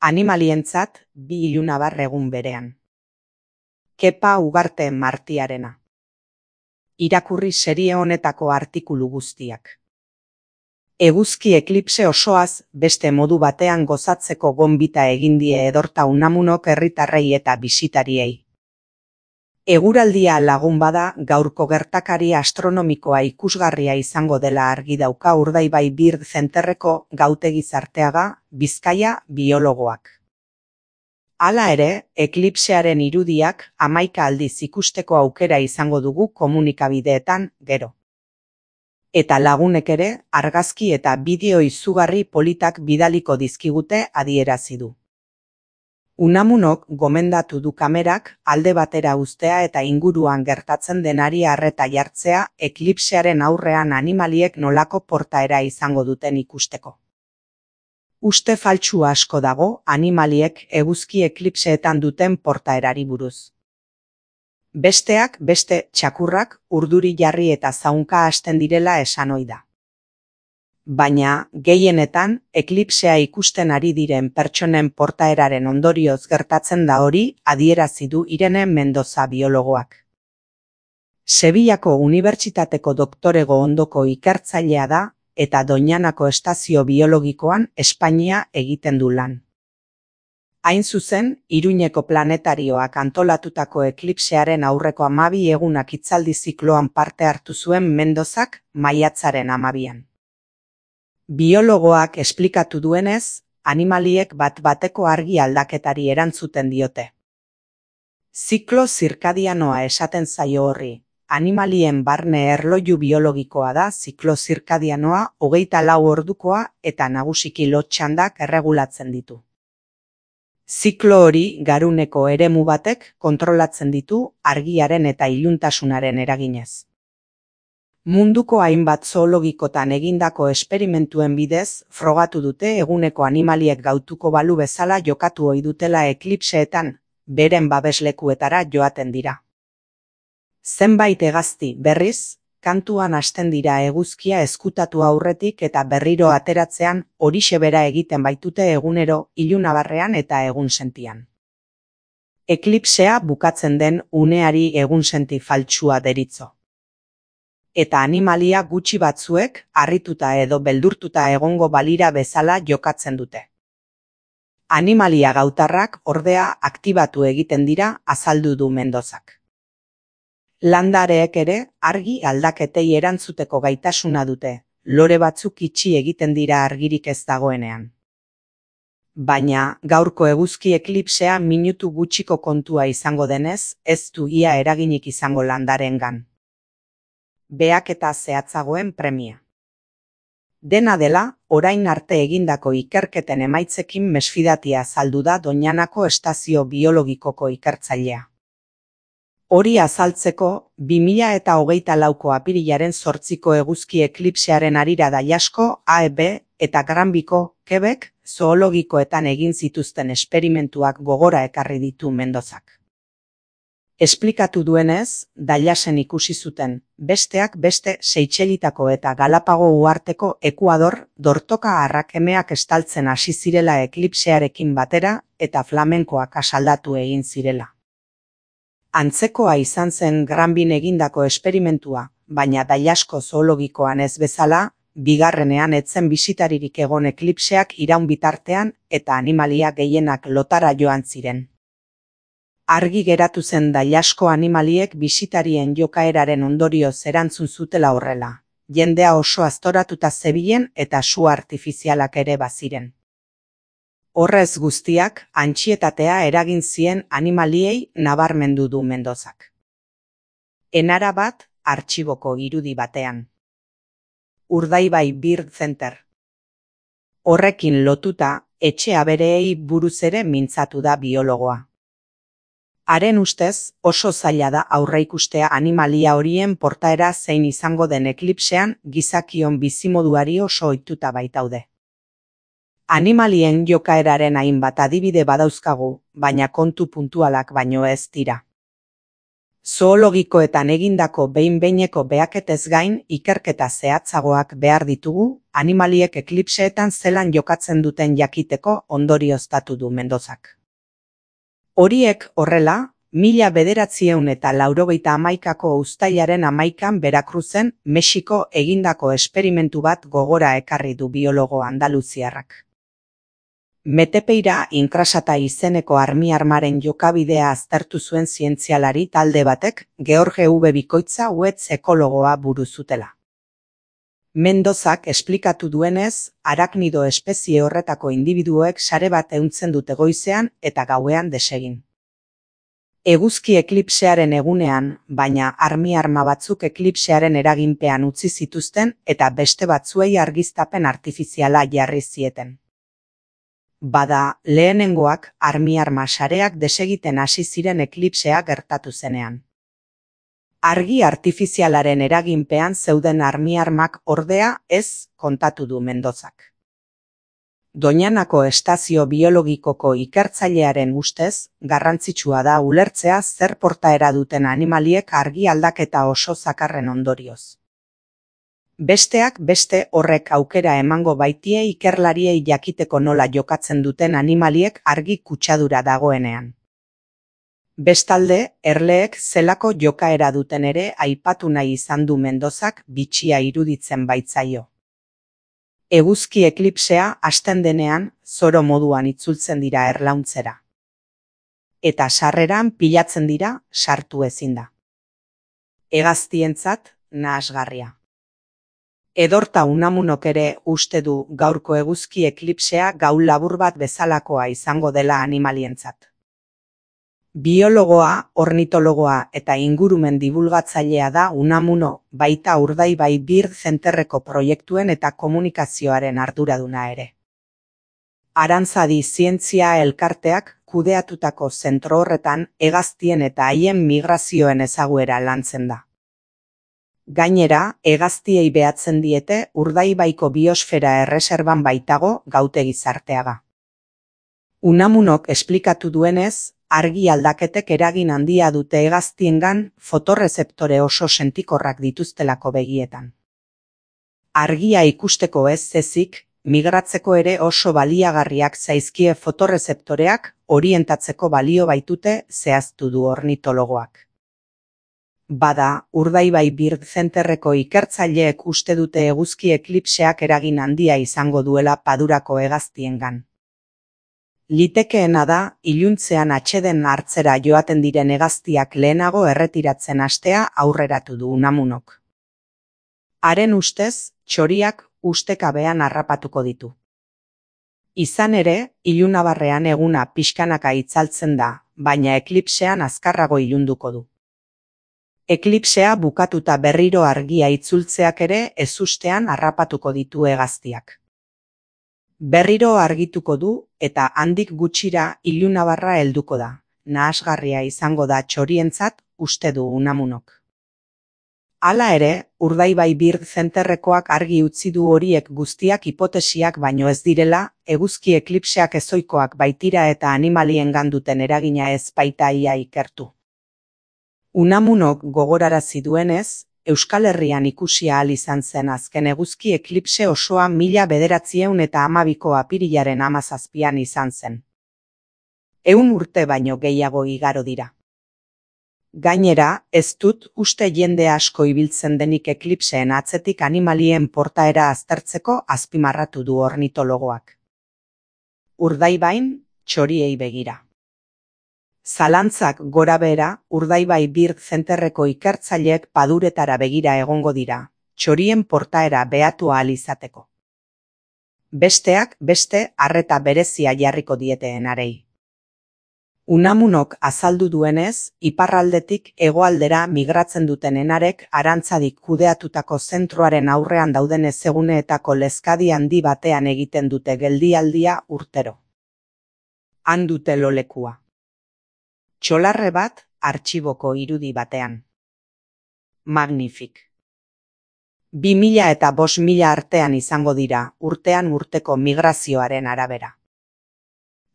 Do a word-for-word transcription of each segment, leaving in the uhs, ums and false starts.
Animalientzat bi ilunabar egun berean. Kepa Ugarte Martiarena. Irakurri serie honetako artikulu guztiak. Eguzki eklipse osoaz beste modu batean gozatzeko gonbita egin die Edorta Unamunok herritarrei eta bisitariei. Eguraldia lagun bada, gaurko gertakari astronomikoa ikusgarria izango dela argi dauka Urdaibai Bird Centerreko Gautegi Zarteaga, Bizkaia biologoak. Hala ere, eklipsearen irudiak hamaika aldiz ikusteko aukera izango dugu komunikabideetan gero. Eta lagunek ere, argazki eta bideo izugarri politak bidaliko dizkigute adierazi du. Unamunok gomendatu du kamerak alde batera uztea eta inguruan gertatzen denari arreta jartzea eklipsearen aurrean animaliek nolako portaera izango duten ikusteko. Uste faltsu asko dago animaliek eguzki eklipseetan duten portaerari buruz. Besteak beste txakurrak urduri jarri eta zaunka hasten direla esan ohi da. Baina, gehienetan, eklipsea ikusten ari diren pertsonen portaeraren ondorioz gertatzen da hori adierazi du Irene Mendoza biologoak. Sevillako Unibertsitateko doktorego ondoko ikertzailea da eta Doñanako estazio biologikoan Espainia egiten du lan. Hain zuzen, Iruñeko planetarioak antolatutako eklipsearen aurreko hamabi egunak hitzaldi zikloan parte hartu zuen Mendozak maiatzaren hamabian. Biologoak esplikatu duenez, animaliek bat-bateko argi aldaketari erantzuten diote. Ziklo zirkadianoa esaten zaio horri. Animalien barne erloju biologikoa da ziklo zirkadianoa hogeita lau ordukoa eta nagusiki lot-txandak erregulatzen ditu. Ziklo hori garuneko eremu batek kontrolatzen ditu argiaren eta iluntasunaren eraginez. Munduko hainbat zoologikotan egindako esperimentuen bidez, frogatu dute eguneko animaliek gautuko balu bezala jokatu ohi dutela eklipseetan, beren babeslekuetara joaten dira. Zenbait hegazti, berriz, kantuan hasten dira eguzkia ezkutatu aurretik eta berriro ateratzean horixe bera egiten baitute egunero ilunabarrean eta egunsentian. Eklipsea bukatzen den uneari egunsenti faltsua deritzo. Eta animalia gutxi batzuek harrituta edo beldurtuta egongo balira bezala jokatzen dute. Animalia gautarrak ordea aktibatu egiten dira azaldu du Mendozak. Landareek ere argi aldaketei erantzuteko gaitasuna dute, lore batzuk itxi egiten dira argirik ez dagoenean. Baina, gaurko eguzki eklipsea minutu gutxiko kontua izango denez, ez du ia eraginik izango landareengan. Beak eta zehatzagoen premia. Dena dela, orain arte egindako ikerketen emaitzekin mesfidatia azaldu da Doñanako estazio biologikoko ikertzailea. Hori azaltzeko, bi mila eta hogeita lauko apirilaren zortziko eguzki eklipsearen harira Daiasko, A E B eta Granbiko, Quebec, zoologikoetan egin zituzten esperimentuak gogora ekarri ditu Mendozak. Esplikatu duenez, Daiasen ikusi zuten, besteak beste Seychelletako eta Galapago uharteko Ekuador dortoka arrakemeak estaltzen hasi zirela eklipsearekin batera eta flamenkoak asaldatu egin zirela. Antzekoa izan zen Granbin egindako esperimentua, baina Daiasko zoologikoan ez bezala, bigarrenean etzen bisitaririk egon eklipseak iraun bitartean eta animalia gehienak lotara joan ziren. Argi geratu zen Daiasko animaliek bisitarien jokaeraren ondorioz erantzun zutela horrela. Jendea oso aztoratuta zebilen eta su artifizialak ere baziren. Horrez guztiak, antsietatea eragin zien animaliei nabarmendu du Mendozak. Enara bat, artxiboko irudi batean. Urdaibai Bird Center. Horrekin lotuta, etxe abereei buruz ere mintzatu da biologoa. Haren ustez, oso zaila da aurreikustea animalia horien portaera zein izango den eklipsean gizakion bizimoduari oso ohituta baitaude. Animalien jokaeraren hainbat adibide badauzkagu, baina kontu puntualak baino ez dira. Zoologikoetan egindako behin-behineko behaketez gain ikerketa zehatzagoak behar ditugu, animaliek eklipseetan zelan jokatzen duten jakiteko ondorioztatu du Mendozak. Horiek horrela, mila bederatziehun eta laurogeita hamaikako uztailaren hamaikan Berakruzen, Mexiko egindako esperimentu bat gogora ekarri du biologo andaluziarrak. Metepeira inkrasata izeneko armiarmaren jokabidea aztertu zuen zientzialari talde batek George V. Bikoitza Uetz ekologoa buru zutela. Mendozak esplikatu duenez, araknido espezie horretako indibiduoek sare bat ehuntzen dute goizean eta gauean desegin. Eguzki eklipsearen egunean, baina armiarma batzuk eklipsearen eraginpean utzi zituzten eta beste batzuei argiztapen artifiziala jarri zieten. Bada, lehenengoak armiarma sareak desegiten hasi ziren eklipsea gertatu zenean. Argi artifizialaren eraginpean zeuden armiarmak ordea ez kontatu du Mendozak. Doñanako estazio biologikoko ikertzailearen ustez, garrantzitsua da ulertzea zer portaera duten animaliek argi aldaketa oso zakarren ondorioz. Besteak beste horrek aukera emango baitie ikerlariei jakiteko nola jokatzen duten animaliek argi kutsadura dagoenean. Bestalde, erleek zelako jokaera duten ere aipatu nahi izan du Mendozak bitxia iruditzen baitzaio. Eguzki eklipsea hasten denean, zoro moduan itzultzen dira erlauntzera. Eta sarreran pilatzen dira, sartu ezin da. Hegaztientzat, nahasgarria. Edorta Unamunok ere uste du gaurko eguzki eklipsea gau labur bat bezalakoa izango dela animalientzat. Biologoa, ornitologoa eta ingurumen divulgatzailea da Unamuno, baita Urdaibai Bird Centerreko proiektuen eta komunikazioaren arduraduna ere. Arantzadi Zientzia Elkarteak kudeatutako zentro horretan hegaztien eta haien migrazioen ezaguera lantzen da. Gainera, hegaztiei behatzen diete Urdaibaiko biosfera erreserban baitago gautegi zarteaga. Unamunok esplikatu duenez, argi aldaketek eragin handia dute hegaztiengan fotorrezeptore oso sentikorrak dituztelako begietan. Argia ikusteko ez ezik, migratzeko ere oso baliagarriak zaizkie fotorrezeptoreak orientatzeko balio baitute zehaztu du ornitologoak. Bada, Urdaibai Bird Centerreko ikertzaileek uste dute eguzki eklipseak eragin handia izango duela Padurako hegaztiengan. Litekeena da, iluntzean atseden hartzera joaten diren hegaztiak lehenago erretiratzen hastea aurreratu du Unamunok. Haren ustez, txoriak ustekabean harrapatuko ditu. Izan ere, ilunabarrean eguna pixkanaka itzaltzen da, baina eklipsean azkarrago ilunduko du. Eklipsea bukatuta berriro argia itzultzeak ere ezustean harrapatuko ditu hegaztiak. Berriro argituko du eta handik gutxira ilunabarra helduko da. Nahasgarria izango da txorientzat, uste du Unamunok. Hala ere, Urdaibai Bird Centerrekoak argi utzi du horiek guztiak hipotesiak baino ez direla, eguzki eklipseak ezoikoak baitira eta animaliengan duten eragina ez baita ia ikertu. Unamunok gogorarazi duenez, Euskal Herrian ikusi ahal izan zen azken eguzki eklipse osoa mila bederatziehun eta hamabiko apirilaren hamazazpian izan zen. Ehun urte baino gehiago igaro dira. Gainera, ez dut uste jende asko ibiltzen denik eklipseen atzetik animalien portaera aztertzeko azpimarratu du ornitologoak. Urdaibain, txoriei begira. Zalantzak gorabehera, Urdaibai Bird Centerreko ikertzaileek Paduretara begira egongo dira, txorien portaera behatu ahal izateko. Besteak beste arreta berezia jarriko diete enarei. Unamunok azaldu duenez, iparraldetik hegoaldera migratzen duten enarek arantzadik kudeatutako zentroaren aurrean dauden ezeguneetako lezkadi handi batean egiten dute geldialdia urtero. Han dute lolekua. Txolarre bat, artxiboko irudi batean. Magnifik. Bi mila eta bost mila artean izango dira, urtean urteko migrazioaren arabera.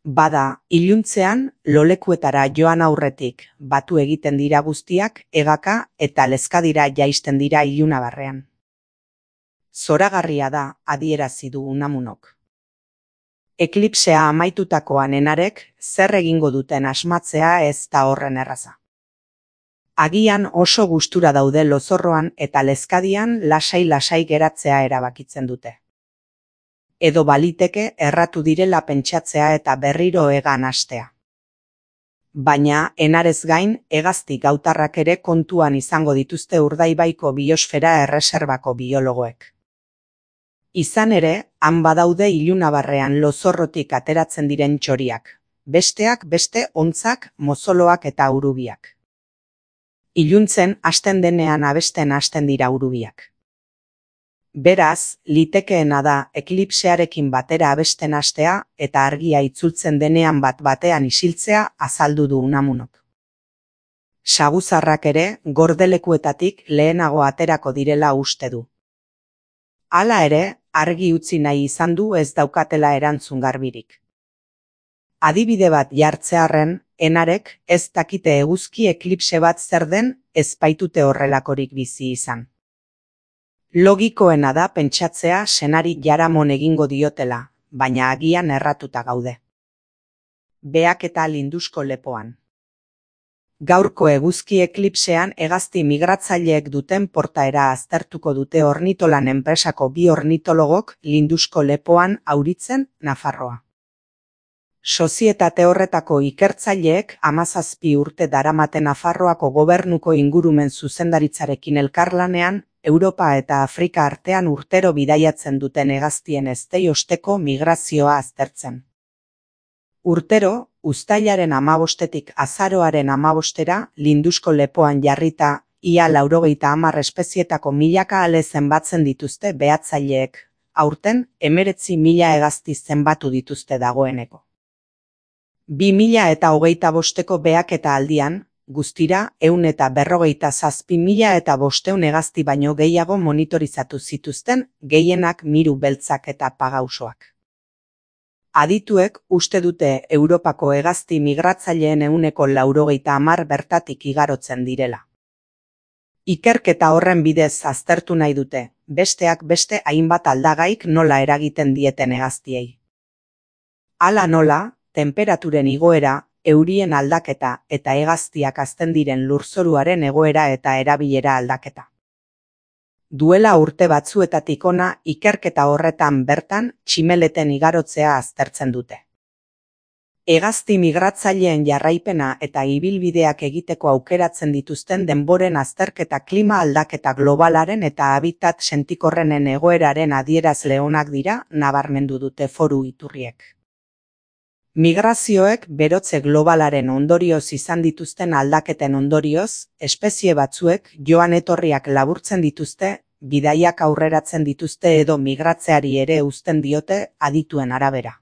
Bada, iluntzean, lolekuetara joan aurretik, batu egiten dira guztiak, egaka eta lezkadira jaisten dira ilunabarrean. Zoragarria da, adierazi du Unamunok. Eklipsea amaitutakoan enarek, zer egingo duten asmatzea ez da horren erraza. Agian oso gustura daude lozorroan eta lezkadian lasai-lasai geratzea erabakitzen dute. Edo baliteke erratu direla pentsatzea eta berriro egan hastea. Baina, enarez gain, hegazti gautarrak ere kontuan izango dituzte Urdaibaiko biosfera erreserbako biologoek. Izan ere, han badaude ilunabarrean lozorrotik ateratzen diren txoriak, besteak beste hontzak, mozoloak eta urubiak. Iluntzen hasten denean abesten hasten dira urubiak. Beraz, litekeena da eklipsearekin batera abesten hastea eta argia itzultzen denean bat batean isiltzea azaldu du Unamunok. Saguzarrak ere gordelekuetatik lehenago aterako direla uste du. Hala ere, argi utzi nahi izan du ez daukatela erantzun garbirik. Adibide bat jartzearren, enarek ez dakite eguzki eklipse bat zer den ez baitute horrelakorik bizi izan. Logikoena da pentsatzea senari jaramon egingo diotela, baina agian erratuta gaude. Beak eta Lindusko lepoan. Gaurko eguzki eklipsean hegazti migratzaileek duten portaera aztertuko dute ornitolan enpresako bi ornitologok Lindusko lepoan Auritzen, Nafarroa. Sozietate horretako ikertzaileek hamazazpi urte daramate Nafarroako gobernuko ingurumen zuzendaritzarekin elkarlanean, Europa eta Afrika artean urtero bidaiatzen duten hegaztien eztei osteko migrazioa aztertzen. Urtero, uztailaren hamabostetik azaroaren hamabostera, Lindusko lepoan jarrita, ia laurogeita hamar espezietako milaka ale zenbatzen dituzte behatzaileek, aurten hemeretzi mila hegazti zenbatu dituzte dagoeneko. Bi mila eta hogeita bosteko beak eta aldian, guztira, ehun eta berrogeita zazpi mila eta bosteun hegazti baino gehiago monitorizatu zituzten, gehienak miru beltzak eta pagausoak. Adituek uste dute Europako hegazti migratzaileen ehuneko laurogeita hamar bertatik igarotzen direla. Ikerketa horren bidez aztertu nahi dute, besteak beste hainbat aldagaik nola eragiten dieten hegaztiei. Hala nola, tenperaturen igoera, eurien aldaketa eta hegaztiak hazten diren lurzoruaren egoera eta erabilera aldaketa. Duela urte batzuetatik hona ikerketa horretan bertan tximeleten igarotzea aztertzen dute. Hegazti migratzaileen jarraipena eta ibilbideak egiteko aukeratzen dituzten denboren azterketa klima aldaketa globalaren eta habitat sentikorrenen egoeraren adierazle onak dira, nabarmendu dute foru iturriek. Migrazioek berotze globalaren ondorioz izan dituzten aldaketen ondorioz, espezie batzuek joan etorriak laburtzen dituzte, bidaiak aurreratzen dituzte edo migratzeari ere uzten diote adituen arabera.